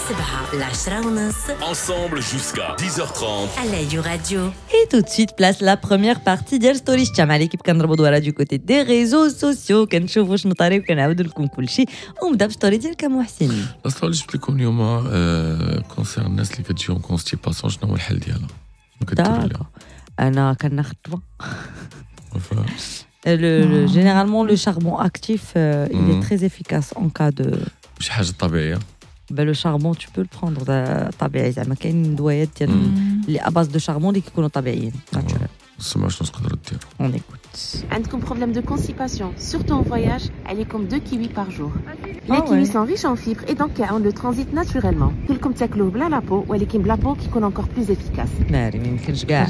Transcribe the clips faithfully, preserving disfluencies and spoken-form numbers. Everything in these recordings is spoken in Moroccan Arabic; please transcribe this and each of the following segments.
سبعة العشرة ونص. Ensemble jusqu'à dix heures trente. على You Radio. Et tout de suite, place la première partie ديال Story مع l'équipe. كنضربوا دوره du côté des réseaux sociaux، كنشوفوا شنو طاري وكنعاودوا لكم كلشي. ونبدا ب story ديالك محسن. la story اللي جبت لكم اليوم concerne الناس اللي كتجيهم constipation، شنو هو الحل ديالها؟ شنو كديروا ليها؟ انا كناخذ دواء. Le, le, généralement, le charbon actif, euh, il est très efficace en cas de. شي حاجة طبيعيه؟ Ben, le charbon, tu peux le prendre طبيعي، زعما كاين دوايات ديال اللي à base de charbon اللي كيكونوا طبيعيين. سمعوا شنو تقدروا ديروا. On écoute. عندكم problème de constipation, surtout en voyage, عليكم deux kiwis par jour. Les kiwis sont riches en fibres et donc كيعاون le transit naturellement. كلكم تاكلوه بلا la peau، ولكن بلا peau كيكون encore plus efficace. ناري، ما يمكنش كاع،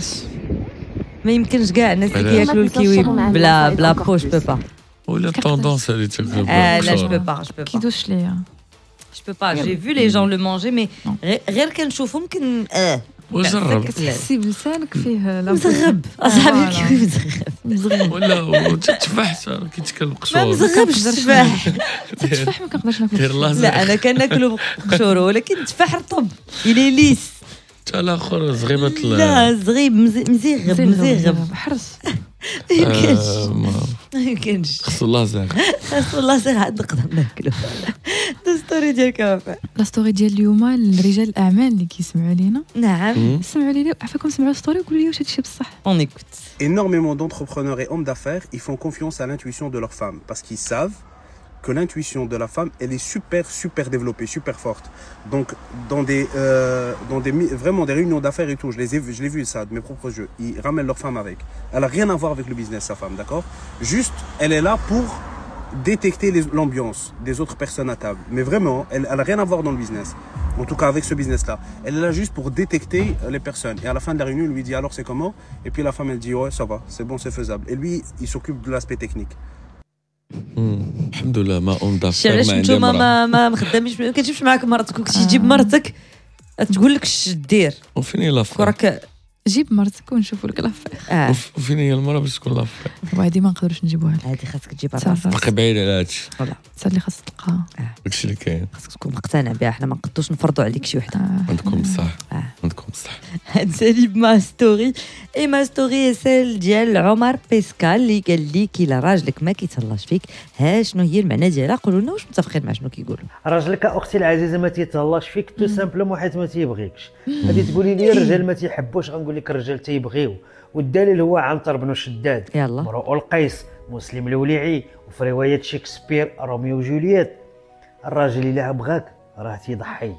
ما يمكنش كاع الناس اللي كياكلوا الكيوي بلا بلا peau، je peux pas. ولا tendance اللي تاكلوا. اه لا، je peux pas، je peux pas. كيدوش ليا. Je peux pas. J'ai vu les gens le manger, mais غير كنشوفهم كن اه وجرب. كتحسي بلسانك فيه. مزغب اصاحبي، الكيوي مزغب. مزغب. ولا التفاح كيتكل بقشور. ما مزغبش التفاح. التفاح ما كنقدرش ناكل. لا، انا كناكلو بقشورو، ولكن التفاح رطب، il est lisse. حتى الاخر زغيبه. لا، زغيب، مزيغب مزيغب. حرص. ما يمكنش، ما يمكنش. خصو لازير. خصو لازير عاد نقدر ناكلو. story ديالك وفاء. la story ديال اليوم الرجال الاعمال اللي كيسمعوا لينا. نعم. سمعوا لينا عفاكم، سمعوا story وقولوا لي واش هادشي بصح. On écoute. Énormément d'entrepreneurs et hommes d'affaires, ils font confiance à l'intuition de leur femme parce qu'ils savent que l'intuition de la femme, elle est super, super développée, super forte. Donc, dans des, euh, dans des, vraiment des réunions d'affaires et tout, je les ai, je l'ai vu ça de mes propres yeux. Ils ramènent leur femme avec. Elle a rien à voir avec le business, sa femme, d'accord? Juste, elle est là pour détecter l'ambiance des autres personnes à table. Mais vraiment, elle n'a rien à voir dans le business. En tout cas, avec ce business-là. Elle est là juste pour détecter les personnes. Et à la fin de la réunion, il lui dit: alors c'est comment? Et puis la femme, elle dit: ouais, ça va, c'est bon, c'est faisable. Et lui, il s'occupe de l'aspect technique. الحمد لله ما homme d'affaires. علاش نتوما ما ما مخداميش؟ ما كتجيبش معاك مرتك؟ كنتي تجيب مرتك تقول لك اش دير. وفين هي l'affaire؟ راك جيب مرتك ونشوفوا لك l'affaire. آه. وفين هي المراة باش تكون l'affaire؟ وهذه ما نقدروش نجيبوها لك. هذه خاصك تجيبها راسك. باقي بعيد على هادشي. voilà. انت اللي خاصك تلقاها. داكشي اللي كاين. خاصك تكون مقتنع بها، حنا ما نقدروش نفرضوا عليك شي وحده. آه. عندكم صح. آه. عندكم صح. هاد ma story et ma story celle ديال عمر بيسكال اللي قال لك الا راجلك ما كيتهلاش فيك، ها شنو هي المعنى ديالها؟ قولوا لنا واش متفقين مع شنو كيقولوا. راجلك اختي العزيزة ما تيتهلاش فيك tout simplement حيت ما تيبغيكش. غادي تقولي لي الرجال ما تيحبوش، غنقول لك الرجال تيبغيو، والدليل هو عنتر بن شداد، يلا امرؤ القيس، مسلم الوليعي، وفي رواية شكسبير روميو وجولييت. الراجل الا بغاك راه تيضحي،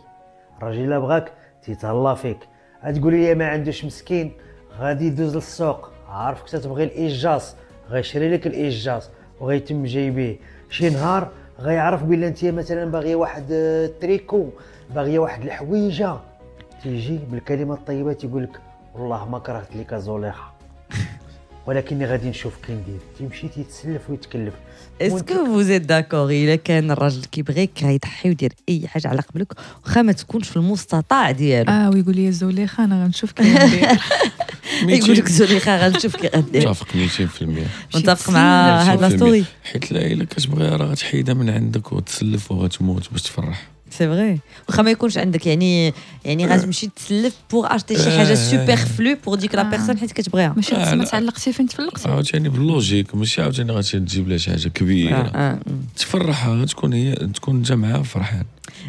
الراجل الا بغاك تيتهلا فيك. غتقولي لي ما عندوش مسكين، غادي يدوز للسوق، عارفك تتبغي الايجاص، غيشري لك الايجاص وغيتم جايبيه. شي نهار غيعرف بلي انت مثلا باغية واحد التريكو، باغية واحد الحويجه، تيجي بالكلمة الطيبة تيقول لك والله ما كرهت لك زليخة ولكني غادي نشوف كي ندير، تيمشي تيتسلف ويتكلف. est-ce que vous êtes d'accord؟ الا كان الراجل كيبغيك غيضحي ويدير اي حاجة على قبلك واخا ما تكونش في المستطاع ديالو؟ اه، ويقول لي زليخة انا غنشوف كي ندير. يقول لك زليخة غنشوف كي غندير. متفق ميتين في المية. متفق مع هاد la story؟ حيت لا، الا كتبغيها راه غتحيدها من عندك وتسلف وغتموت باش تفرح. c'est vrai، واخا ما يكونش عندك، يعني يعني غتمشي تسلف pour acheter شي حاجة superflue pour ديك la personne حيت كتبغيها. ماشي آه، ما لا. تعلقتي فين تفلقتي. عاوتاني بال logique، ماشي عاوتاني غادي تجيب لها شي حاجة كبيره. آه، آه. تفرحها، تكون هي تكون انت معاها فرحان.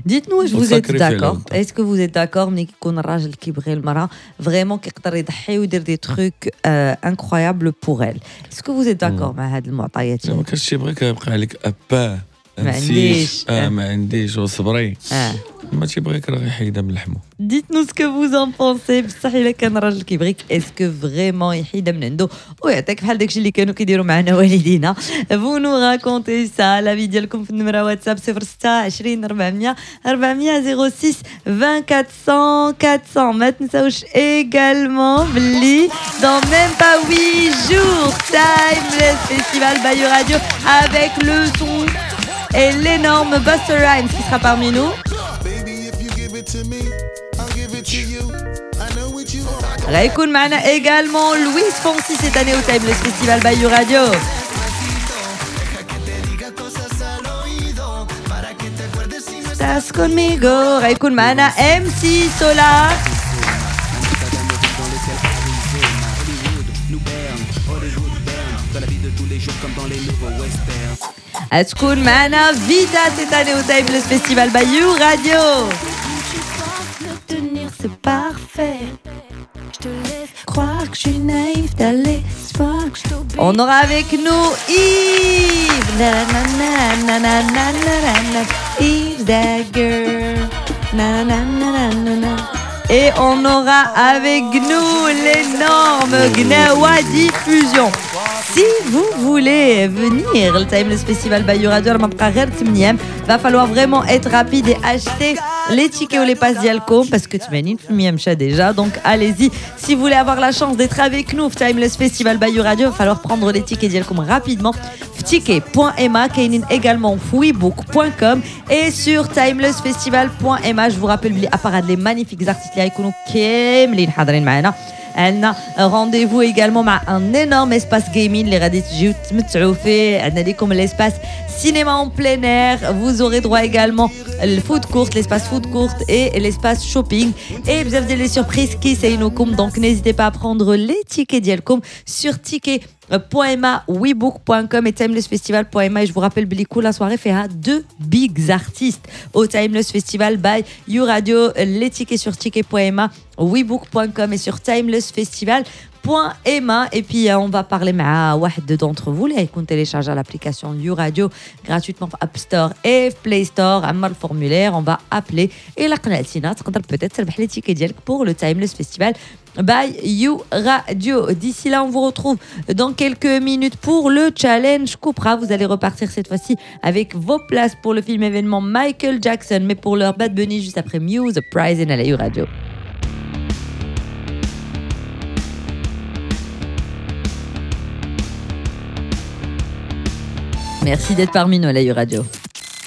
Dites-nous واش vous êtes وت sacrifier d'accord. لها. Est-ce que vous êtes d'accord ملي كيكون الراجل كيبغي المراة vraiment كيقدر يضحي ويدير des trucs incroyables pour elle؟ Est-ce que vous êtes d'accord مع هاد المعطيات؟ الا ما كانش تيبغيك يبقى عليك ابا ما عنديش. اه ما عنديش وصبري. اه ما تيبغيك راه غيحيدها من لحمه. Dites-nous ce que vous en pensez. بصح الا كان راجل كيبغيك، est-ce que vraiment يحيدها من عنده ويعطيك بحال داكشي اللي كانوا كيديروا معنا والدينا؟ Vous nous racontez ça، l'avis ديالكم في النمرة واتساب صفر ستة عشرين أربعمية أربعمية، صفر ستة عشرين أربعمية أربعمية. ما تنساوش également بلي dans même pas huit jours, Timeless Festival by You Radio avec le son et l'énorme Busta Rhymes qui sera parmi nous. Baby, if you give it to me, I'll give it to you. I know what you want. غيكون معنا également Luis Fonsi cette année au Timeless Festival by You Radio. Deja que te diga cosas al oído para que te acuerdes si no Estás conmigo. غيكون معنا MC Solaar. تكون معنا Vitaa cette année au Timeless Festival by You Radio. C'est parfait. Je te laisse croire que je suis naïve, t'as l'espoir que je t'obéis. On aura avec nous Yves. Na na na na na na na na. Yves Dagger. Na na na na na na. Et on aura avec nous l'énorme Gnawa Diffusion. Si vous voulez venir le Timeless Festival by You Radio, va falloir vraiment être rapide et acheter les tickets ou les passes ديالكم parce que ثمانين بالمية مشى déjà, donc allez-y. Si vous voulez avoir la chance d'être avec nous au Timeless Festival by You Radio, va falloir prendre les tickets ديالكم rapidement. ticket point m a, كاينين également webook point com et sur timeless festival point m a. Je vous rappelle بلي à part les magnifiques artistes اللي غيكونوا كاملين حاضرين معنا, عندنا rendez-vous également مع un énorme espace gaming اللي غادي تجيو تمتعوا فيه. عندنا لكم l'espace cinéma en plein air, vous aurez droit également le food court, l'espace food court et l'espace shopping et بزاف ديال les surprises كيساينوكم. Donc n'hésitez pas à prendre les tickets ديالكم sur ticket point m a, webook point com et timeless festival point m a. Et je vous rappelle بلي كل soirée فيها deux bigs artistes au Timeless Festival by You Radio. Les tickets sur ticket point m a, webook point com et sur timeless festival point m a. Et puis on va parler مع واحد d'entre vous اللي غيكون téléchargé l'application You Radio gratuitement في App Store et Play Store. عمر ال formulaire, on va appeler et لا قنعتينا تقدر peut-être تربح les tickets ديالك pour le Timeless Festival by You Radio. D'ici là, on vous retrouve dans quelques minutes pour le challenge Cupra. Vous allez repartir cette fois-ci avec vos places pour le film événement Michael Jackson, mais pour l'heure Bad Bunny juste après Muse Uprising à la You Radio. Merci d'être parmi nous à la You Radio.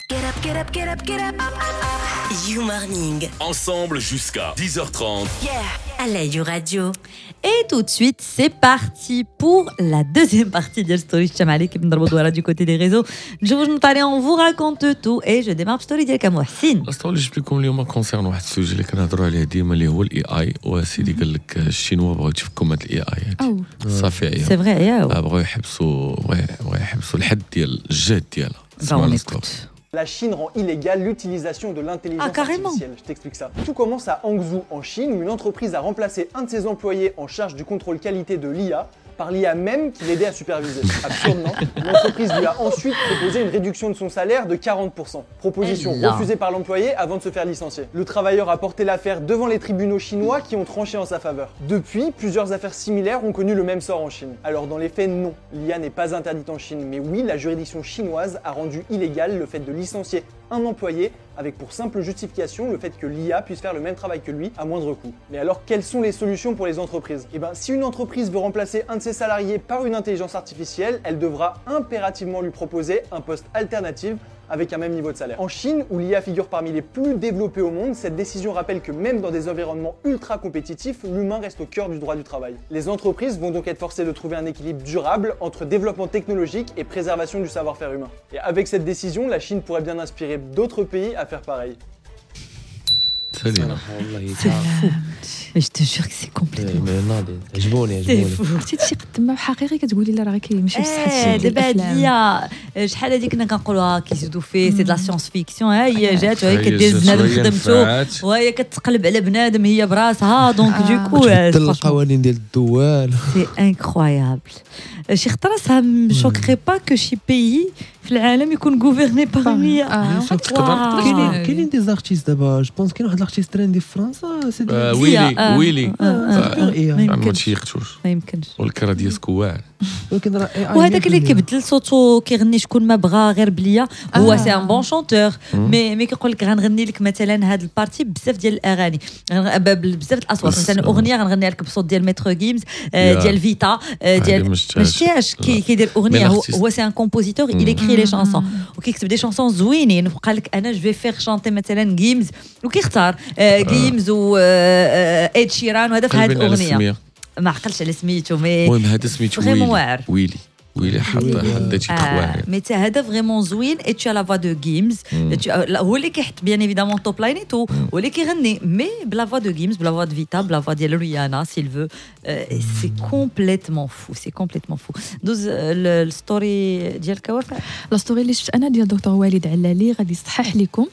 Get up, get up, get up, get up. You Morning. Ensemble jusqu'à dix heures trente. Yeah. À la You Radio. Et tout de suite, c'est parti pour la deuxième partie ديال Story Chamali qui بنضربوا دوره du côté des réseaux. نشوفوا شنو طالع, on vous raconte tout et je démarre story ديالك محسن. ال story اللي جبت لكم اليوم concerne واحد ال sujet اللي كنهضروا عليه ديما اللي هو ال AI. وسيدي قال لك ال Chinois بغاو يتفكوا من ال AI. صافي عيا. c'est vrai عيا. بغاو يحبسوا بغاو يحبسوا الحد ديال الجهد ديالها. La Chine rend illégale l'utilisation de l'intelligence ah, artificielle. Je t'explique ça. Tout commence à Hangzhou, en Chine, où une entreprise a remplacé un de ses employés en charge du contrôle qualité de l'I A par l'I A même qui l'aidait à superviser. Absurde, non ? L'entreprise lui a ensuite proposé une réduction de son salaire de quarante pour cent. Proposition refusée par l'employé avant de se faire licencier. Le travailleur a porté l'affaire devant les tribunaux chinois qui ont tranché en sa faveur. Depuis, plusieurs affaires similaires ont connu le même sort en Chine. Alors dans les faits, non, l'I A n'est pas interdite en Chine, mais oui, la juridiction chinoise a rendu illégal le fait de licencier un employé avec pour simple justification le fait que l'I A puisse faire le même travail que lui à moindre coût. Mais alors, quelles sont les solutions pour les entreprises ? Eh ben, si une entreprise veut remplacer un de ses salariés par une intelligence artificielle, elle devra impérativement lui proposer un poste alternatif avec un même niveau de salaire. En Chine, où l'I A figure parmi les plus développés au monde, cette décision rappelle que même dans des environnements ultra compétitifs, l'humain reste au cœur du droit du travail. Les entreprises vont donc être forcées de trouver un équilibre durable entre développement technologique et préservation du savoir-faire humain. Et avec cette décision, la Chine pourrait bien inspirer d'autres pays à faire pareil. C'est fou. Mais je te jure que c'est complètement. عجبوني عجبوني. عرفتي شي قدما حقيقي كتقولي لا راه كيمشي بصح هادشي. دابا هاد l'IA شحال هادي كنا كنقولوها كيزيدوا فيه c'est de la science-fiction. ها هي جات وهي كدير بنادم خدمته وهي كتقلب على بنادم هي براسها. donc du coup تبدل القوانين ديال الدول. c'est incroyable. شي خطره ça me choquerait pas que شي pays في العالم يكون gouverné par l'IA. كاينين كاينين des artistes دابا je pense كاين واحد l'artiste trendy في فرنسا c'est ويلي ويلي ما تيقتوش ما يمكنش والكرا ديالك واعر. ولكن راه وهذاك اللي كيبدل صوتو كيغني شكون ما بغا غير بليا هو c'est un bon chanteur mais mais كيقول لك غنغني لك مثلا هاد ال partie بزاف ديال الاغاني بزاف الاصوات. مثلا اغنية غنغنيها لك بصوت ديال Maître Gims ديال Vitaa ديال ماشي كيدير اغنية. هو c'est un compositeur, il écrit les chansons وكيكتب des chansons زوينين وقال لك انا je vais faire chanter مثلا Gims وكيختار Gims و Ed Sheeran وهذا في هذه الاغنية ما عقلش على سميتو mais المهم هذا سميتو ويلي ويلي ويلي حط حط شي تخوان. mais تا هذا vraiment زوين et tu as la voix de Gims، هو اللي كيحط bien évidemment top line et tout، هو اللي كيغني mais ب la voix de Gims، ب la voix de Vitaa، ب la voix ديال ريانا s'il veut. c'est complètement fou، c'est complètement fou. دوز ال story ديالك وفاء. la story اللي شفت انا ديال دكتور وليد علالي غادي يصحح لكم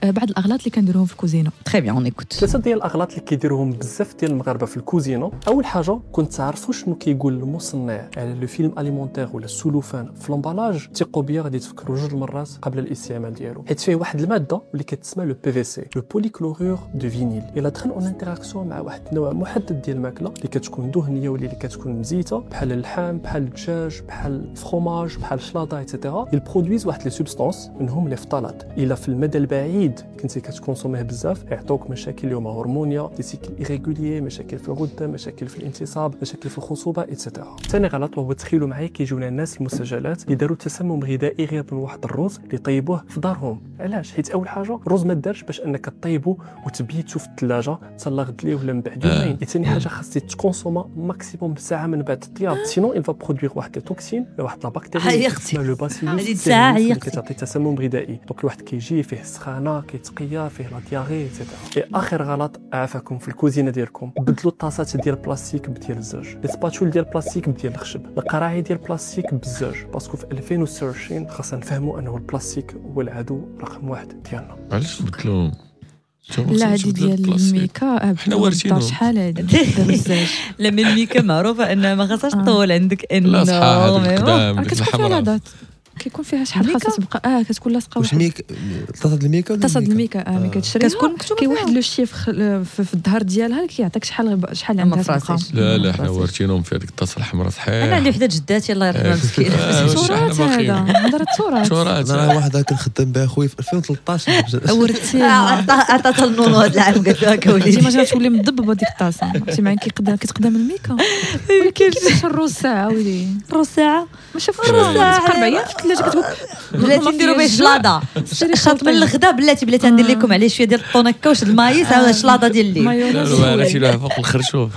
بعض الاغلاط اللي كنديروهم في الكوزينة. très bien، on écoute. ثلاثة ديال الاغلاط اللي كيديروهم بزاف ديال المغاربة في الكوزينة. اول حاجة، كنت تعرفوا شنو كيقول المصنع على le film alimentaire ولا السلوفان في l'emballage، ثقوا بيا غادي تفكروا جوج المرات قبل الاستعمال ديالو، حيت فيه واحد المادة اللي كتسمى le PVC، le polychlorure de vinyle. الا دخل en interaction مع واحد النوع محدد ديال الماكلة اللي كتكون دهنية ولا اللي كتكون مزيته، بحال اللحم، بحال الدجاج، بحال ال fromage، بحال الشلاضه et cetera، ils produisent واحد les substances منهم les phtalates. الا في المدى البعيد كنتي كت consommer ه بزاف يعطوك مشاكل اليوم هرمونيه، des cycles irréguliers، مشاكل في الغدة، مشاكل في الانتصاب، مشاكل في الخصوبة et cetera. ثاني غلط وهو تخيلوا معايا كيجيونا الناس المسجلات اللي داروا تسمم غذائي غير من واحد الروز اللي طيبوه في دارهم. علاش؟ حيت اول حاجة الروز ما دارش باش انك طيبو وتبيتو في الثلاجة حتى غد ليه ولا من بعد يومين. ثاني حاجة خاص ت consomma maximum ساعة من بعد الطياب، sinon il va produire واحد les toxines، واحد la bactérie اسمها le bacillus كتعطي تسمم غذائي. donc الواحد كيجي فيه السخانه، كيتقيا، فيه la diarrhée et cetera. اخر غلط عافاكم في الكوزينة ديالكم، بدلوا الطاسات ديال البلاستيك بديال الزجاج، les spatules ديال البلاستيك بديال الخشب، القراعي ديال البلاستيك بالزجاج، parce que في ألفين وستة وعشرين خاصنا نفهموا انه البلاستيك هو العدو رقم واحد ديالنا. علاش بدلوهم؟ لا هادي ديال الميكا حنا وارثينو شحال هادي. لا mais الميكا معروفة انها ما خاصهاش تطول عندك، انه لا صحاح هذيك كتكون فيها la date، كيكون فيها شحال خاصها تبقى. اه كتكون لاصقه. واش ميك طاسه الميكا؟ طاسه الميكا اه ملي كتشريها كتكون مكتوبة كاين واحد le chiffre في الظهر ديالها كيعطيك شحال شحال عندها تبقى. لا لا حنا وارثينهم في هذيك الطاسه الحمراء صحيح. انا عندي وحده جداتي الله يرحمها مسكينه. تراث هذا، هضره التراث. انا واحدة كنخدم بها خويا في ألفين وثلاطاش ورثتيها، عطاتها النونو هذا العام قالت لها كولي تيماجين تولي مضببه ديك الطاسه عرفتي معاك كيتقدم الميكا. ولكن كيفاش الروز ساعة ولي الروز ساعة ما شافوش الروز ساعة اربع ايام في الثلاجة كتقول بلاتي نديرو به شلاضه شاط من الغدا، بلاتي بلاتي ندير لكم عليه شوية ديال الطونكه واش ال maïs هذا الشلاضه ديال الليل. لا لا تيلوها فوق الخرشوف،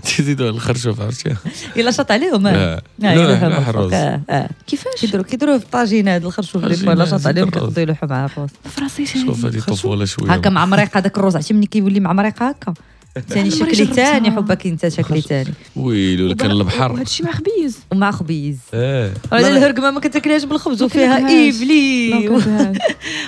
تيزيدوها الخرشوف عرفتي الا شاط عليهم. لا لا الروز كيفاش كيديروا كيديروه في الطاجين هذا الخرشوف اللي فوق، لا شاط عليهم كيقدروا يلوحوا معاه الروز. فراسي شوف هذه طفولة شوية هكا مع مريقه هذاك الروز، عرفتي ملي كيولي مع مريقه هكا ثاني شكلي ثاني حبك انت شكلي ثاني. ويلي ولا كان البحر. وهذا الشيء مع خبيز ومع خبيز. اه على الهرقمه ما كتاكلهاش بالخبز وفيها ايفلي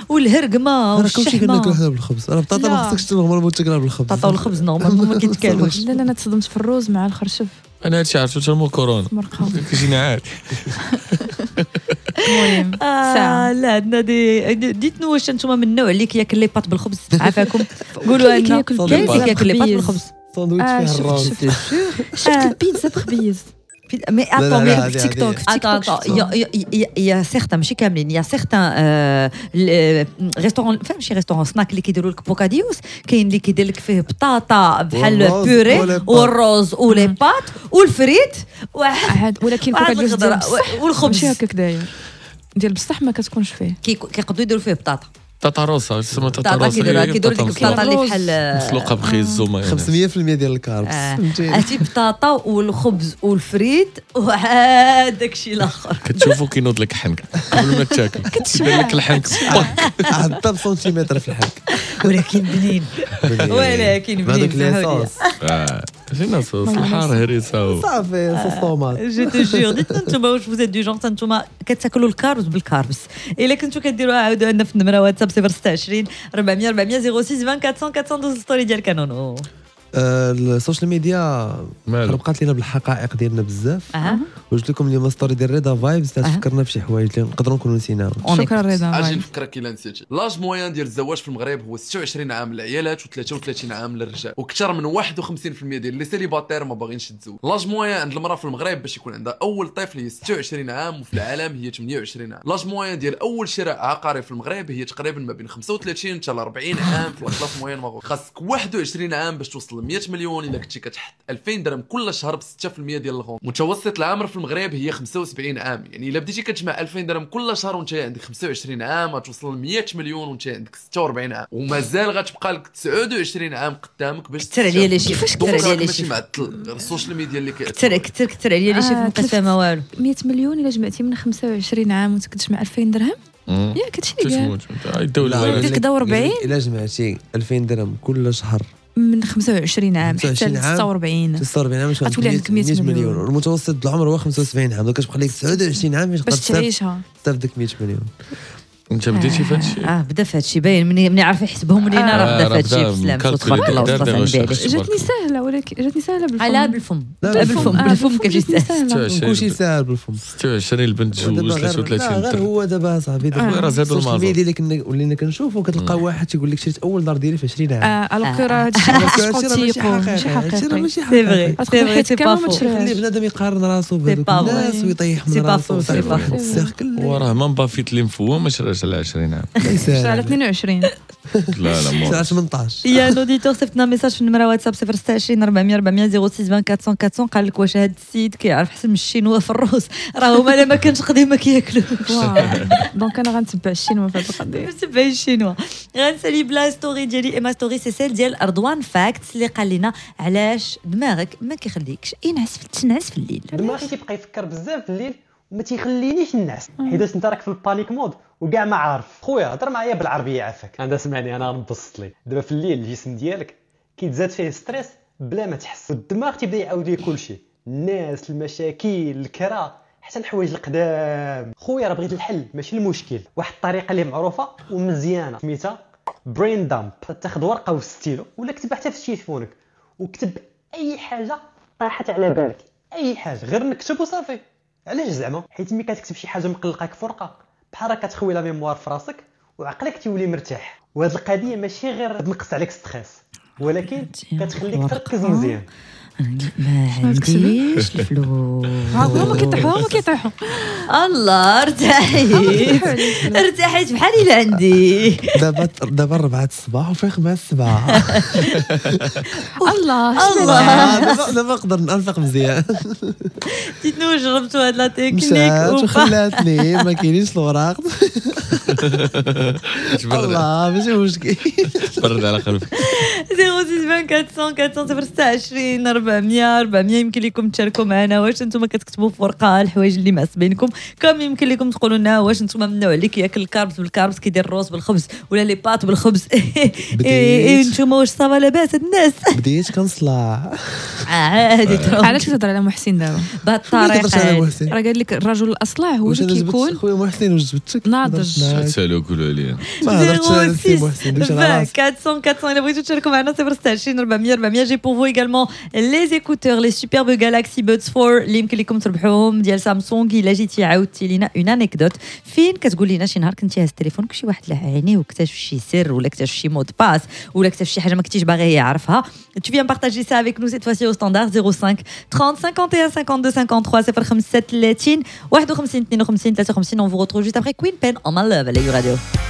والهرقمه والشحمه. كلشي كناكلو حنا بالخبز. راه بطاطا ما خصكش normalement تاكلها بالخبز. بطاطا والخبز normalement ما كيتكالوش. لا لا انا تصدمت في الروز مع الخرشف. انا هادشي عرفتو حتى مور كورونا كيجينا عادي. المهم ساعة لا عندنا des dites-nous واش انتم من النوع اللي كياكل les pâtes بالخبز؟ عافاكم قولوا لنا كاين اللي كياكل les pâtes بالخبز. ساندويتش فيه الروز. شفت البيتزا بخبيز. mais attends mais في تيك توك في تيك توك il y a certains ماشي كاملين، il y a certains restaurants، فهم شي restaurant snack اللي كيديروا لك bocadillos، كاين اللي كيدير لك فيه بطاطا بحال purée والروز و les pâtes وال frites واحد، ولكن bocadillos ديال والخبز ماشي هكاك داير ديال بصح ما كتكونش فيه، كيقدروا يديروا فيه بطاطا بطاطا روسا تسمى بطاطا روسا، كيديروا كيديروا ديك البطاطا اللي بحال مسلوقة بخيزو ما خمسمية بالمية ديال ال carbs، عرفتي بطاطا والخبز والفريت وعاد داكشي الاخر. كتشوفو كينوض لك حنك قبل ما تاكل، كيدير لك الحنك حتى بسنتيمتر في الحنك، ولكن بنين ولكن بنين هذوك les sauces جينا صوص الحار هريسه صافي sauce tomate. je te jure dites نتوما واش vous êtes du genre نتوما كتاكلوا ال carbs بال carbs؟ الا كنتو كديروها عاودوا لنا في النمرة واتساب صفر ستة وعشرين أربعمية أربعمية صفر ستة أربعة أربعمية دوز story ديال كانونو. ال social media خربقات لينا بالحقائق ديالنا بزاف. أه. وجبت لكم اليوم story ديال رضا فايبز تفكرنا بشي حوايج اللي نقدروا نكونوا نسيناهم. شكرا رضا. اجي نفكرك الا نسيتي l'âge moyen ديال الزواج في المغرب هو ستة وعشرين عام للعيالات وثلاثة وثلاثين عام للرجال، واكثر من واحد وخمسين بالمية ديال les célibataires ما باغينش يتزوجوا. l'âge moyen عند المراة في المغرب باش يكون عندها اول طفل هي ستة وعشرين عام، وفي العالم هي ثمانية وعشرين عام. l'âge moyen ديال اول شراء عقاري في المغرب هي تقريبا ما بين خمسة وثلاثين حتى أربعين عام في la classe moyenne marocaine. خاصك واحد وعشرين عام باش توصل ل مية مليون الا كنتي كتحط ألفين درهم كل شهر ب ستة في المية ديال ال rendement. متوسط العمر في المغرب هي خمسة وسبعين عام، يعني الا بديتي كتجمع ألفين درهم كل شهر وانت عندك خمسة وعشرين عام غتوصل ل مية مليون وانت عندك ستة وأربعين عام، ومازال غتبقى لك تسعة وعشرين عام قدامك باش كثر عليا les chiffres، كثر عليا les ماشي chiffres. معطل غير ال social media اللي كثر كثر كثر عليا les chiffres، ما بقيت فاهمه والو. مية مليون الا جمعتي من خمسة وعشرين عام وانت كتجمع ألفين درهم، ياك هادشي اللي قال؟ الدولة دير كدا وأربعين. الا جمعتي ألفين درهم كل شهر من خمسة وعشرين عام حتى ستة وأربعين، ستة وأربعين عام غتولي عندك مية مليون. والمتوسط العمر هو خمسة وسبعين عام، donc كتبقى لك تسعة وعشرين عام باش تعيشها تستافد ديك مية مليون. انت بديتي في هادشي؟ اه بدا في هادشي باين، مني مني عارف يحسبهم لينا راه بدا في هادشي. بسلامة تبارك الله وصلت على النبي عليه. جاتني سهلة، ولكن جاتني سهلة بالفم. لا بالفم، بالفم بالفم كتجي سهلة، كلشي ساهل بالفم. ستة وعشرين البنت تزوج ثلاثة وثلاثين غير هو دابا صاحبي دابا راه زادوا المازوت. ال social media اللي كنا ولينا كنشوفوا كتلقى واحد تيقول لك شريت اول دار ديالي في عشرين عام، alors que راه هادشي ماشي حقيقي، ماشي حقيقي. c'est vrai c'est pas faux. خلي بنادم يقارن راسو بهذوك الناس ويطيح من راسو. وراه ما بافيت اللي مفوه ما شراش على عشرين عام، على اثنين وعشرين. لا لا على ثمنطاش. يا un auditeur صيفطنا message في النمرة واتساب صفر ستة وعشرين أربعمية أربعمية صفر ستة أربعة أربعمية أربعمية، قال لك واش هاد السيد كيعرف حسن من الشينوا في الروس؟ راه هما لا ما كانش قديم ما كياكلوش. donc انا غنتبع الشينوا في هاد القضية. نتبع الشينوا. غنسالي ب la story ديالي، اما story c'est celle ديال رضوان Facts اللي قال لنا علاش دماغك ما كيخليكش ينعس تنعس في الليل. دماغي تيبقى يفكر بزاف في الليل وما تيخلينيش نعس، حيت انت راك في ال panic mode وكاع ما عارف. خويا هضر معايا بالعربية عافاك، انا سمعني انا غنبسط لك. دابا في الليل الجسم ديالك كيتزاد فيه stress بلا ما تحس، والدماغ تيبدا يعاود لك كلشي، الناس، المشاكل، الكرا، حتى الحوايج القدام. خويا راه بغيت الحل ماشي المشكل. واحد الطريقة اللي معروفة ومزيانه سميتها brain dump. تاخذ ورقة وستيلو ولا كتب حتى في تليفونك، وكتب اي حاجة طاحت على بالك، اي حاجة، غير نكتب وصافي. علاش زعما؟ حيت ملي كتكتب شي حاجة مقلقاك في ورقة بحال راه كتخوي la mémoire في راسك وعقلك تيولي مرتاح. وهاد القضية ماشي غير تنقص عليك stress، ولكن كتخليك تركز مزيان. ما عنديش الفلوس. هما كيطيحوا هما كيطيحوا. الله ارتاحيت ارتاحيت بحال الا عندي. دابا دابا أربعة الصباح وفيق مع السبعة. الله الله دابا نقدر ننفق مزيان. تيتنو جربتوا هاد la technique مشات وخلاتني ما كاينينش الوراق. الله ماشي مشكل، برد على قلبك. صفر ستة أربعمية أربعمية صفر ستة وعشرين أربعمية أربعمية يمكن لكم تشاركوا معنا واش انتم كتكتبوا في ورقة الحوايج اللي معصبينكم، كم يمكن لكم تقولوا لنا واش انتم من النوع اللي كياكل ال carbs بال carbs، كيدير الروز بالخبز ولا les pâtes بالخبز. اي انتم واش ça va لاباس هاد الناس؟ بديت كنصلع عادي. علاش كتهضر على محسن دابا بهاد الطريقة؟ راه قال لك الرجل الاصلع هو اللي كيكون. خويا محسن واش جبتك ناضج؟ تسالوا قولوا عليا ما هضرتش على سي محسن. دوش على راسك. أربعمية أربعمية الا بغيتو تشاركوا معنا صفر ستة وعشرين أربعمية أربعمية. j'ai pour vous également les écouteurs les superbes Galaxy Buds أربعة اللي يمكن لكم تربحوهم ديال سامسونج. الا جيتي عاودتي لينا une anecdote فين كتقول لنا شي نهار كنتي هاز التليفون شي واحد لاح عينيه واكتشف شي سر ولا اكتشف شي mot de passe ولا اكتشف شي حاجة ما كنتيش باغي يعرفها. Tu viens partager ça avec nous cette fois-ci au standard zéro cinq trente cinquante et un cinquante-deux cinquante-trois zéro cinq ثلاثين واحد وخمسين اثنين وخمسين ثلاثة وخمسين. On vous retrouve juste après Queen Pen on My Love على You Radio.